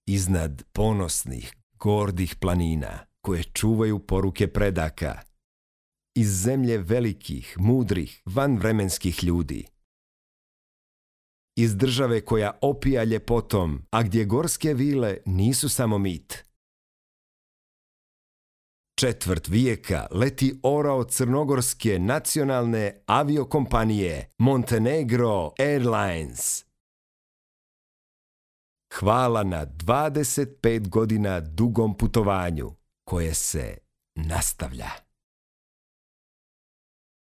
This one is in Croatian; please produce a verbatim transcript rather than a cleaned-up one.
iznad ponosnih, gordih planina koje čuvaju poruke predaka, iz zemlje velikih, mudrih, vanvremenskih ljudi, iz države koja opija ljepotom, a gdje gorske vile nisu samo mit. Četvrt vijeka leti orao crnogorske nacionalne aviokompanije Montenegro Airlines. Hvala na dvadeset pet godina dugom putovanju koje se nastavlja.